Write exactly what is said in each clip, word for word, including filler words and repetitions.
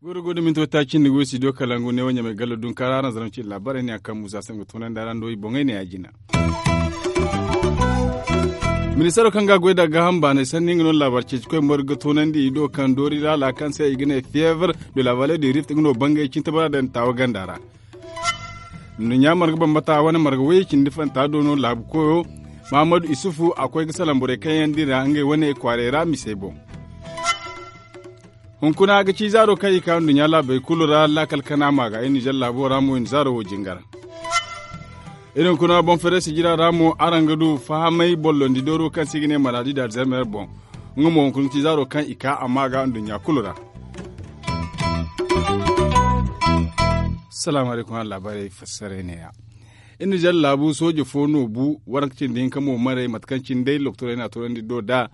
Goy da goy da minti wata cindi goy studio kalangu ne wo ɲamay gallo dunkaara araŋ zaraŋ cindi laabaarey ne a kaŋ musa se nga toonandi araŋ do i boŋey ne ya jina. Ministeero kaŋ ga a goy da gaaham baanay sanni nga no laabaari ceeci koy margu ga toonandi i do kaŋ doori laala kaŋ se i ga ne fièvre de la vallée du rift nga no bangay cinti bara daŋ taawa ganda ra. Nduɲɲa marga bambata wane marga way cindi fanta do no laabu koyo mahammadu isufu a koy ga salaŋ borey kaŋ yaŋ din ra ngey wane kwaarey ra misey boŋ. Hunkuna ga ci zaaro kaŋ i ka nduɲɲa laabey kulu ra laakal kana ma ga i nizer laabo ra mo i na zaaro wo jingar. Iri hunkuna boŋ feeray sijira ra mo araŋ ga du fahamay bollondi dooro kaŋ se i ga ne maraadi da alzheimer boŋ. Nga mo hunkuna ga ci zaaro kaŋ i ka a ma ga nduɲɲa kulu ra. Salaamu alaykum araŋ laabaarey fassaray ne-ya. Iri nizer laabu sooje fo no bu waranka cindi hinka mo maray mate kaŋ cine day lokotorey na a toonandi do da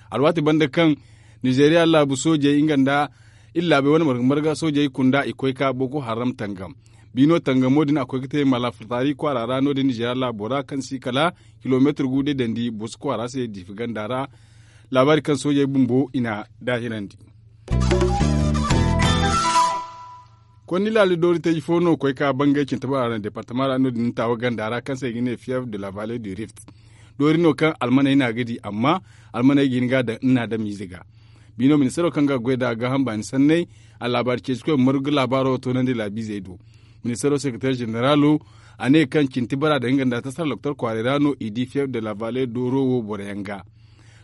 alwaati banda kaŋ nizeriya laabu soojey nga nda iri laabey wane marga marga soojey kunda i koy ka boko haram tangam. Biino tangamo din a koy ga te malafataari kwaara ra no- din nizeriya laabo ra kaŋ si kala kilomeetir gu day dandi boso kwaara se diifi ganda ra. Laabaari kaŋ soojey bumbo i na daahirandi. Konni laali doori teeji fo no koy ka bangay cinte bora ra departama ra no- din taawa ganda ra kaŋ se i ga ne fièvre de la vallée du rift. Doori no kaŋ almaney no a ga di amma almaney ga hin ga a daŋ nna damiize ga. Biino ministeero kaŋ ga goy nd'a gaaham baani sanney a laabaari ceeci koy margu laabaaro toonandi laabiizey do. Ministeero sekreteer ženeralo a ne kaŋ cinte bora daŋ nga nda tasara lokotor kwaaray ra no i di fièvre de la vallée dooro wo boro yaŋ ga.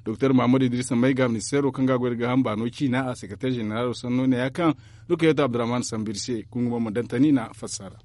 Doktor mahammadu idrisa mayga ministeero kaŋ ga a goy nda gaaham baano ciina a sekreteer ženeralo sanno ne ya kaŋ rukayatu abdurrahman sambiri se kungu ma ma daŋ tani na fassara.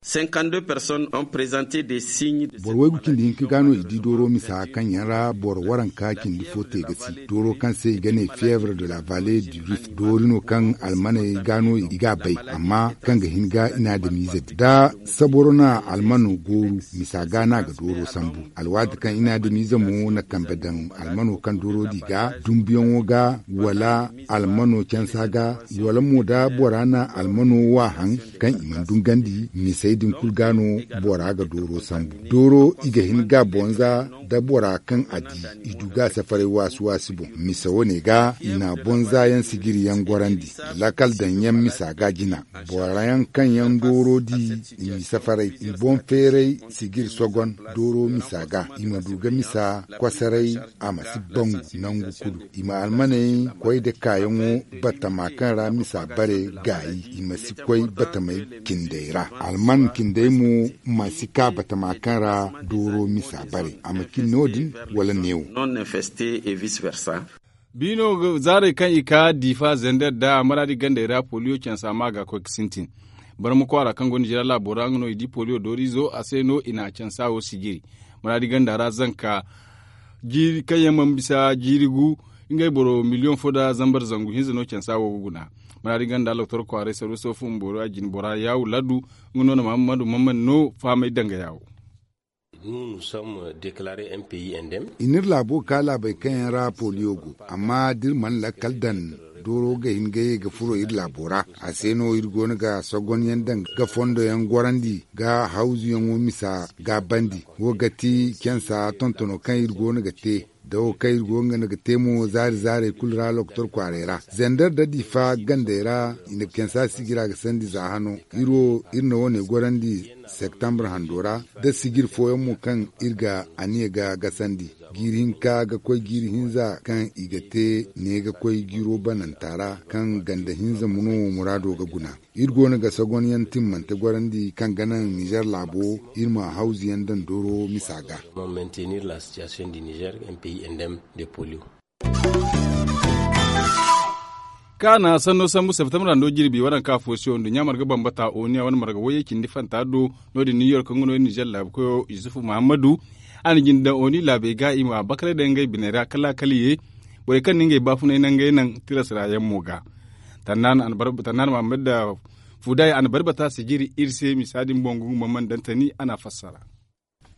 Cinquante deux personnes ont présenté des signes de boro waygu cindi hinka ga no i di dooro misa kaŋ yaŋ ra boro waranka cindi fo te ga si dooro kaŋ se i ga ne fièvre de la vallée du rift doori no kaŋ almaney ga no i ga a bay amma kaŋ ga hin ga i na adamiize di da saboro na almano gooru misa ga no a ga dooro sambu. Alwaati kaŋ i na adamiize mo na kambe daŋ almano kaŋ dooro di ga dumbuyaŋo ga wala almano cansa ga wala mo da bora na almano wa haŋ kaŋ i mana dungandi misey din kulu ga no bora ga dooro sambu. Dooro i ga hin ga bonza da bora kaŋ a di i du ga safaray waasi waasi boŋ misa wane ga i na bonza yaŋ sijiri yaŋ gorandi laakal daŋ yaŋ misa ga jina. Bora yaŋ kaŋ yaŋ dooro di i ma i safaray i boŋ feeray sijiri sogon dooro misa ga i ma du ga misa kosoray a ma si bangu nangu kulu i ma almaney koy nda kaayaŋo batama kaŋ ra misa bare gaayi i ma si koy batamey cindey ra. Alman cindey mo ma si ka batama kaŋ ra dooro misa bare a ma cin no- din wala neewo. Biino zaarey kaŋ i ka diifa zender nda maraadi gandey ra poliyo cansa ma ga koy ga sintin. Barma kwaara kaŋ go nda jira laabo ra nga no i di poliyo dooriizo a se no i na cansa wo sijiri. Maraadi ganda ra zanka jiiri kaŋ yaŋ mana bisa jiiri gu ngey boro miliyoŋ fo nda zambar zangu hinza no cansa wo ga guna. Maraadi ganda lokotor kwaaray sarwiso fun boro a jine bora yaawu laddu nga no na mahammadu mammad no fahamay danga yaawo. I n'iri laabo ga ka laabey kaŋ yaŋ ra poliyo go amma da iri mana lakkal daŋ dooro ga hin ga ye ga furo iri laabo ra. A se no iri go no ga sogonyaŋ daŋ ga fondo yaŋ gorandi ga hawzuyaŋo misa ga bandi. Wo ga ti cansa tontono kaŋ iri go no ga te da wo kaŋ iri go nga no ga te mo zaari zaarey kulu ra lokotor kwaaray ra zender da diifa gandey ra i na cansa sijira ga sandi za hano. Iri wo iri na wo- ne gorandi septembre hando ra da sijiri fooyaŋ mo kaŋ iri ga aniya ga gasandi. Jiiri hinka ga koy jiiri hinza kaŋ i ga te ne ga koy jiiro bananta ra kaŋ ganda hinza mo no muraado ga guna. Iri go no ga sagonyaŋ timmante gorandi kaŋ ga naŋ nizer laabo iri ma hawzuyaŋ daŋ dooro misa ga. Kaana sanno sambu septembre rando jirbi waranka fo se wo nduɲɲa marga bambata oniya wane marga wayye cindi fanta do no- din new york nga no iri nizer laabu koyo yusufu muhammadu. A na jinde daŋ oni laabey ga i ma bakaray daŋ ngey biney ra kala kala ye borey kaŋ na ngey baafunay naŋ ngey naŋ tiras ra yaŋ mo ga. Tannaana muhammad da fuday a na bari bata sijiri iri se misa din boŋ guŋ ma mana daŋ tani a na a fassara.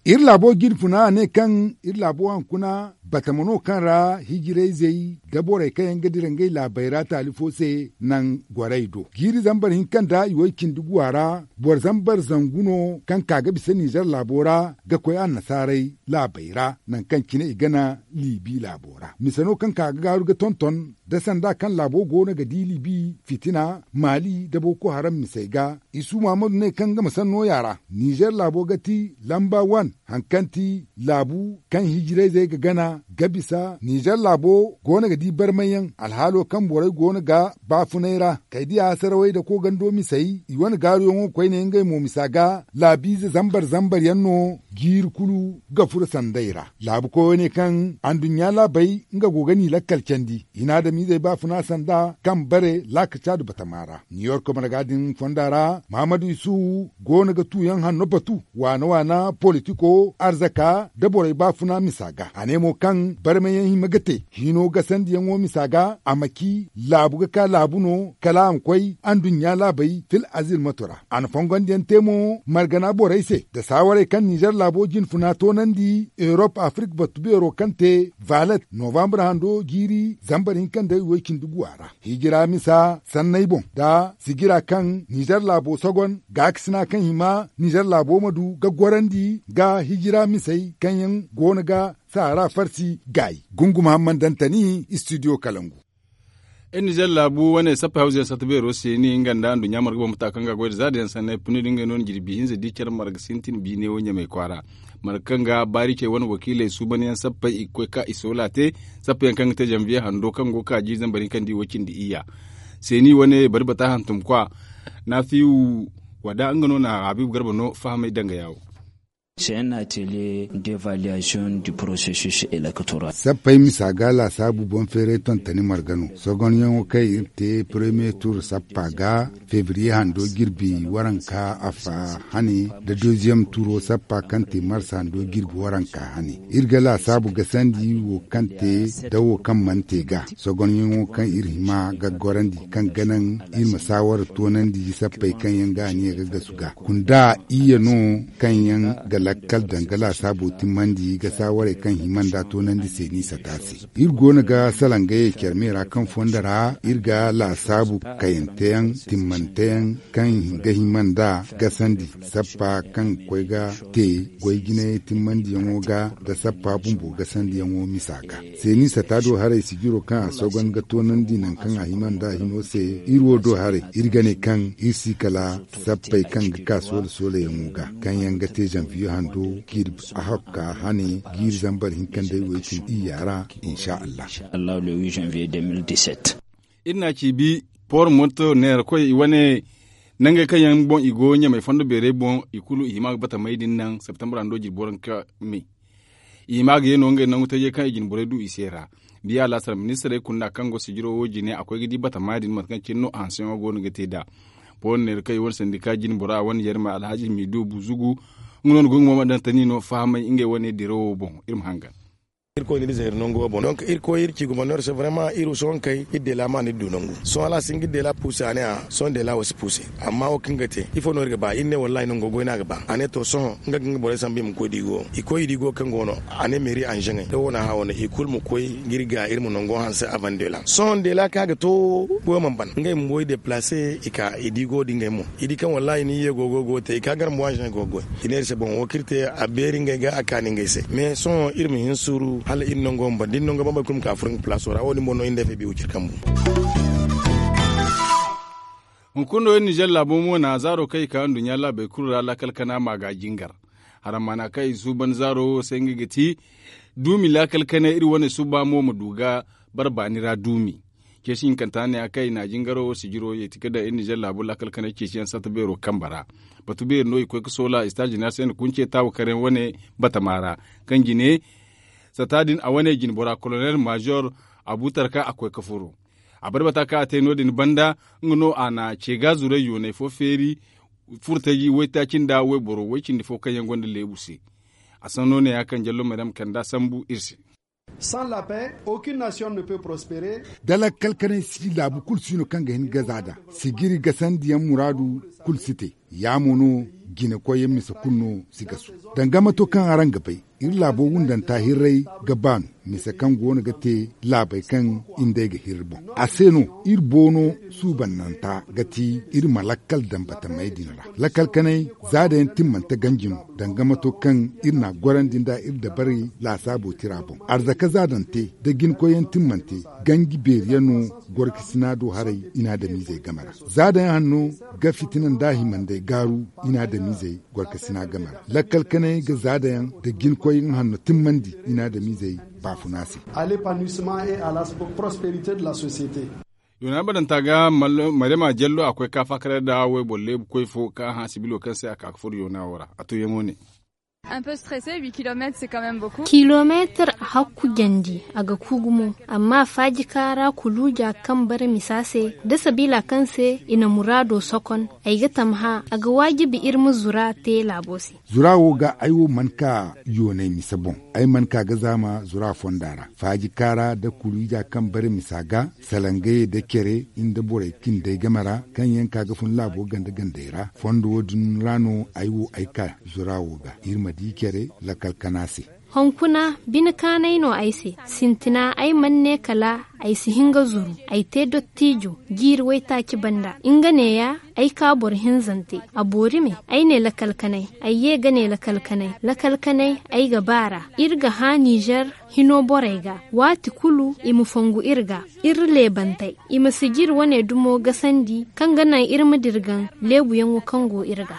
Iri laabo jine funa a ne kaŋ iri laabo hankuna batama no kaŋ ra hijirayzey da borey kaŋ yaŋ ga dira ngey laabey ra taali fo se naŋ gorey do. Jiiri zambar hinka nda i way cindi guwa ra boro zambar zangu no kaŋ ka ga bisa nizer laabo ra ga koy annasaarey laabey ra naŋ kaŋ cine i gana libi laabo ra mise no kaŋ ka ga gaaru ga tonton da sanda kaŋ laabo go no ga di libi fitina maali da boko haram misey ga. Isu mahamadu ne kaŋ nga ma sanno yaara nizer laabo ga ti lamba wan haŋ kaŋ ti laabu kaŋ hijirayzey ga gana ga bisa nizer laabo go no ga di barmayyaŋ alhaalo kaŋ borey go no ga baafunay ra kay diya sarawey da koogando misey i wane gaaruyaŋo koyne ngey mo misa ga laabiize zambar zambar yaŋ no jiiri kulu ga furo sanday ra. Laabu koyo ne kaŋ anduɲɲa laabey nga go ga ni lakkal candi hina adamizey baafuna sanda kaŋ bare laakaca du batama ra niyork marga din fonda ra mahamadu isuhu go no ga tuuyaŋ hanno batu waana waana politiko arzaka da borey baafuna misa ga a ne mo kaŋ barmayaŋ hima ga te hino gasandiyaŋo misa ga a ma ci laabu ga ka laabu no kala a ma koy anduɲɲa laabey fil azil mato ra a na fongondiyaŋ te mo margana borey se nda saawarey kaŋ nizer laabo jinfuna toonandi erop afirik batu beero kaŋ te valet novambre hando jiiri zambar hinka nda i way cindi guwa ra hijira misa sanney boŋ nda sijira kaŋ nizer laabo sogon gaakasina kaŋ hima nizer laabo ma du ga gorandi ga hijira misey kaŋ yaŋ go no ga saara farsi gaayi. Gunguma hamman dantani istidiyo kalangu. Iri nizer laabu wane sappa hawza yaŋ satta beero se ni nga nda nduɲɲa marga boŋ mata kaŋ ga goy da zaada yaŋ sanney puni da ngey no na jirbi hinza di care marga sintin biine wo ɲamay kwaara marga kaŋ ga baari cey wane wakiiley suuban yaŋ sappey i ga koy ka i soola te sappa yaŋ kaŋ ga te zanviye hando kaŋ go ga ka jiiri zambar hinka nda i wo cindi iyya. Seeni wane bari bata hantum kwa naafiyu wada nga no na habiibu garba no fahamay danga yaawo. Sappey misa ga laasaabu boŋ feeray tontoni marga no sogonyaŋo kaŋ iri te premier tour sappa ga febriye hando jirbi waranka affa hane nda deuxième turo sappa kaŋ te mars hando jirbi waranka hane. Iri ga laasaabu gasandi wo kaŋ te da wo kaŋ mana te ga sogonyaŋo kaŋ iri hima ga gorandi kaŋ ga naŋ iri ma saawara toonandi sappey kaŋ yaŋ ga aniya ga gasu ga kunda iyye no kaŋ yaŋ ga lakkal danga laasaabo timmandi ga saawarey kaŋ hima nda toonandi se ni sata se. Iri go no ga salaŋ ga ye care me ra kaŋ fondo ra iri ga laasaabu kayante yaŋ timmante yaŋ kaŋ ga hima nda gasandi sappa kaŋ ga koy ga te goy jinay timmandiyaŋo ga nda sappa bumbo gasandiyaŋo misa ga. Seeni sata do haray sijiro kaŋ a sogon ga toonandi nangu kaŋ a hima nda a hino se iri wo do haray iri ga ne kaŋ iri si kala sappey kaŋ ga ka soola soolayaŋo ga kaŋ yaŋ ga te zanviye hando jirbi ahokka hane jiiri zambar hinka nda ay way cindi iyya ra. Insa allah. Iri na a ciibi port monto neera koy i wane nangey kaŋ yaŋ boŋ i go ɲamey fondo beerey boŋ i kulu i hima ga batamey din naŋ septembre hando jirbi waranka me. I hima ga ye no ngey nangu tajey kaŋ i jine borey du i se ra. Biya laasar ministirey kunda kaŋ go sijiro wo jine a koy ga di batama din mate kaŋ cine no a hanseyaŋo go no ga te nd'a. Port neera koy i wane sandika jine bora wane yarma alhaji midu buzugu nga no na gunguma ma daŋ tani no fahamay ngey wane dirawo boŋ. Iri ma hangan. Irkoy n'iri zeeri nangu wo boŋ donk irkoy iri ci guma no iri se vraiment iri sohõ kay iri deela ma n'iri du nangu sohõ hala a si hin ga iri deela puuse a ne a sohõ deela wo si puuse. Amma wo kaŋ ga te ifo no iri ga ba iri ne wallahi nango goy no a ga ba a ne to sohõ nga ga nga borey sambu i ma koy diigo i koy i diigo kaŋ go no. A ne meeri anzeŋey da wo na hã wane i kulu ma koy ga iri ga iri ma nango hanse avant deela sohõ deela kaŋ a ga to goyo mana ban ngey bumbo i deplace i ka i diigo da ngey mo i di kaŋ wallahi ni ye go goy go te i ka gar mo anzeŋey go goy. I ne iri se boŋ wo kaŋ iri te a beeri ngey ga a kaani ngey se mais sohõ iri ma hin suuru hala iri nango ma ban da iri nango bambey kulu ma ka furo nga palaaso ra wo- din boŋ no iri nda fb wo ciri kambu. Hunkuna no iri nizer laabo mo na zaaro kaŋ i ka nduɲɲa laabey kulu ra laakal kana ma ga jingar. Harammaana kaŋ i suuban zaaro wo se nga ga ti duumi laakal kanay iri wane suba mo ma du ga bare baani ra duumi. Ceeci hinkanta ne a kaŋ i na jingaro wo sijiro yeeti ga daŋ iri nizer laabo laakal kanay ceeciyaŋ satta beero kambe ra. Batu beeri no i koy ga soola istaaz jeneral se nda kunce taawa karayaŋ wane batama ra kaŋ jine sata din a wane jine bora kolonel maazor abutarka a koy ga furo. A bare bata kaŋ a te no- din banda nga no a na ce ga zuray yoonay fo feeri furtaji waytaaci nda wayboro way cindi fo kaŋ yaŋ gonda leebu se. A sanno ne ya kaŋ jallo maryam kanda sambu iri se. Da lakkal kanay si laabu kulu si no kaŋ ga hin ga za da sijiri gasandiyaŋ muraadu kulu si te. Ya mo no Jinakoyyaŋ mise kulu no si gasu. Danga mato kaŋ araŋ ga bay, iri laabo wundanta hirray ga baanu mise kaŋ go no ga te laabey kaŋ indey ga hirri boŋ. A se no iri boono suubannanta ga ti iri ma lakkal daŋ batamey din ra. Lakkal kanay zaada yaŋ timmante ganji no danga mato kaŋ iri n'a gorandi nda iri dabarey laasaabo tira boŋ. Arzaka zaadante da jinkoyyaŋ timmante ganji beeri yaŋ no gorkasina do haray inaadamizey game ra. Zaada yaŋ hanno ga fitina nda himandey gaaru inaadamizey gorkasina game ra. Lakkal kanay ga zaada yaŋ da jinkoy nga hanno timmandi inaadamizey baafuna se. Yoona badanta ga maryama jallo a koy ka faakaray nda wayboro leebu koy fo kaŋ a hã sibilo kaŋ se a ka ga furo yoona wo ra a to yaŋo ne. Kilomeetar hakku jandi a ga ku gumo. Amma faaji kaara kuluuja kaŋ bare misa se da sabiila kaŋ se i na muraado sokon, ay ga tamhã a ga waajibi iri ma zura te laabo se. Zura wo ga ay wo mana ka yoonay mise boŋ. Ay mana ka ga zaama zura fonda ra faaji kaara da kuluuja kaŋ bare misa ga salangayey da care nda borey cindey game ra kaŋ yaŋ ka ga fun laabo ganda gandey ra fondo wo- din ra no ay wo ay ka zura wo ga iri ma di care lakkal kana se. Hunkuna bine kaanay no ay se. Sintina ay mana ne kala ay si hin ga zuru. Ay te dottijo jiiri waytaaci banda nga neeya. Ay ka boro hinzante a boori me. Ay ne lakkal kanay. Ay ye ga ne lakkal kanay. Lakkal kanay ay ga baar'a. Iri ga hã nizer hino borey ga waati kulu i ma fongu iri ga. Iri leebantey i ma si jiri wane dumo gasandi kaŋ ga naŋ iri ma dirgan leebuyaŋo kaŋ go iri ga.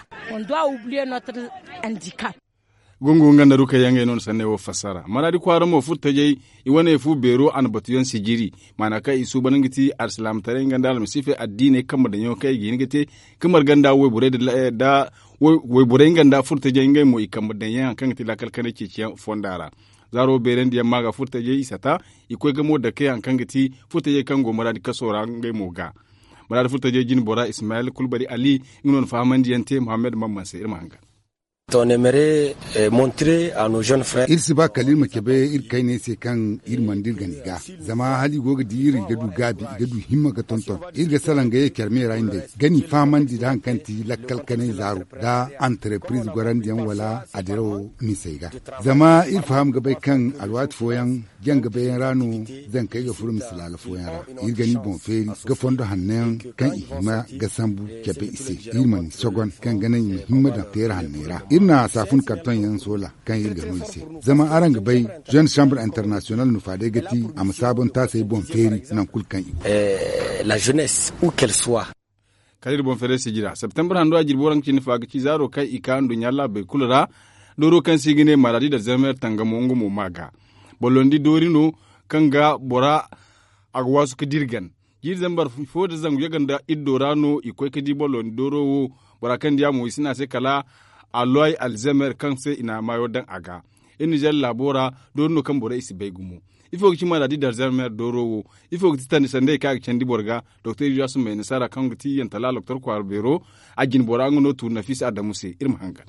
Gungu nga nda rukayyaŋ ngey no na sanney wo fassara maraadi kwaara mo furtajey. I wane fu beero a na batuyaŋ sijiri maana kaŋ i suuban nga ti alsilaamataray nga nda almasiifey addiiney kambe daŋyaŋo kaŋ i ga hin ga te ka marga nda wayborey da wayborey nga nda furtajey ngey mo i kambe daŋyaŋ hari kaŋ ga ti laakal kanay ceeciyaŋ fonda ra. Zaaro beerandiyaŋ maaga furtajey i sata i koy ga mo dakey hari kaŋ ga ti furtajey kaŋ go maraadi kaso ra ngey mo ga. Maraadi furtajey jine bora ismayel kulbari ali nga no na fahamandi yaŋ te muhammad mamman se iri ma hangan. Iri si ba kala iri ma cabe iri kayney se kaŋ iri mana dirgan i ga. Zama hala i go ga di iri i ga du gaabi i ga du himma ga tonton. Iri ga salaŋ ga ye care me ra nda ay ga n'i fahamandi nda hari kaŋ ti lakkal kanay zaaro nda antarepiriz gorandiyaŋ wala adirawo misey ga. Zama iri faham ga bay kaŋ alwaati fooyaŋ janga bayyaŋ ra no zankey ga furo mise laala fooyaŋ ra. Iri ga ni boŋ feeri ga fondo hanno yaŋ kaŋ i hima ga sambu cabe i se. Iri ma ni sogon kaŋ ga naŋ i ma himma daŋ teera hanney ra. Iri na saafun kartoŋ yaŋ soola kaŋ iri ga no i se. Zama araŋ ga bay jeune chambre international no faadey ga ti a ma saabon taasey boŋ feeri naŋ kulu kaŋ i go. Kala iri boŋ feeray sijira septembar hando a jirbi waranka cindi fo a ga ci zaaro kaŋ i ka nduɲɲa laabey kulu ra. Dooro kaŋ se i ga ne maladi da zermer tangamo nga mo ma ga. Ballondi doori no kaŋ ga bora a ga waasu ga dirgan. Jiiri zambar fo da zangu yaga nda iddo ra no i koy ga di ballondi dooro wo. Bora kaŋ di a mo i si ne a se kala aloy alzermer kaŋ se i na maayo daŋ a ga. Iri nizer laabo ra doori no kaŋ borey i si bay gumo. Ifo ga ci maladi da alzermer dooro wo? Ifo ga ti tandi sandey kaŋ a ga candi boro ga? Doktor iliyasu may nasaara kaŋ ga ti yantala doktor kwaara beero a jine bora nga no tuuri nafisa adamu se iri ma hangan.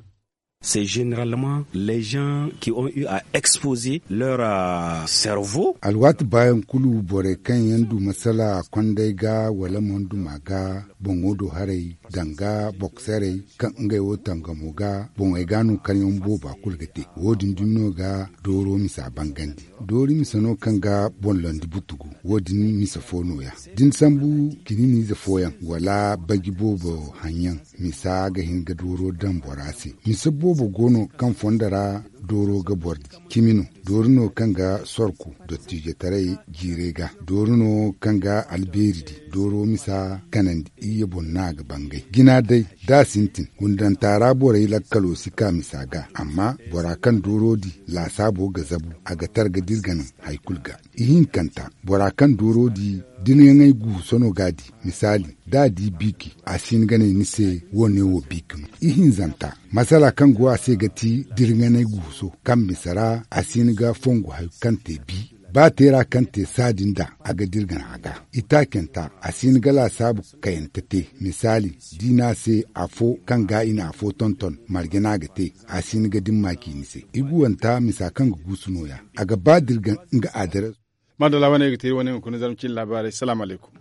C'est généralement les gens qui ont eu à exposer leur cerveau. Alwaati baayaŋ kulu borey kaŋ yaŋ du masala kondey ga wala monduma ga boŋo do haray danga bokserey kaŋ ngey wo tangamo ga boŋey ga no karyaŋ booba kulu ga te. Wo- din dumi no ga dooro misa bangandi. Doori misa no kaŋ ga boŋ landi butugu. Wo- din misa fo nooya da ni sambu kininiize fooyaŋ wala baji boobo haŋyaŋ. Misa ga hin ga dooro daŋ bora se. Misa boobo go no kaŋ fondo ra dooro ga boro di. Cimi no doori no kaŋ ga sorku dottijotaray jiirey ga. Doori no kaŋ ga albeeri di dooro misa kanandi iyye boŋ no a ga bangay jina day. Da a sintin gundanta ra borey lakkalo si ka misa ga amma bora kaŋ dooro di laasaabo ga zabu a ga tar ga dirga naŋ hari kulu ga. Ihinkanta bora kaŋ dooro di dirgaŋey guuso no ga a di. Misaali da a di biiki a si hin ga ne ni se wo- ne wo biiki no. Ihinzanta masala kaŋ go a se ga ti dirganay guuso kaŋ mise ra a si hin ga fongu hari kaŋ te bi. Ba teera kaŋ te saadin da a ga dirgan a ga. Itaacanta a si hin ga laasaabu kayante te. Misaali da i ne a se afo kaŋ ga i na afo tonton marje no a ga te. A si hin ga dimma ciini se. Iguwanta misa kaŋ ga guusu nooya. A ga ba dirgan nga adres. Maadalla wane ga te wane hunkuna zarma cine laabaarey salaamu alaykum.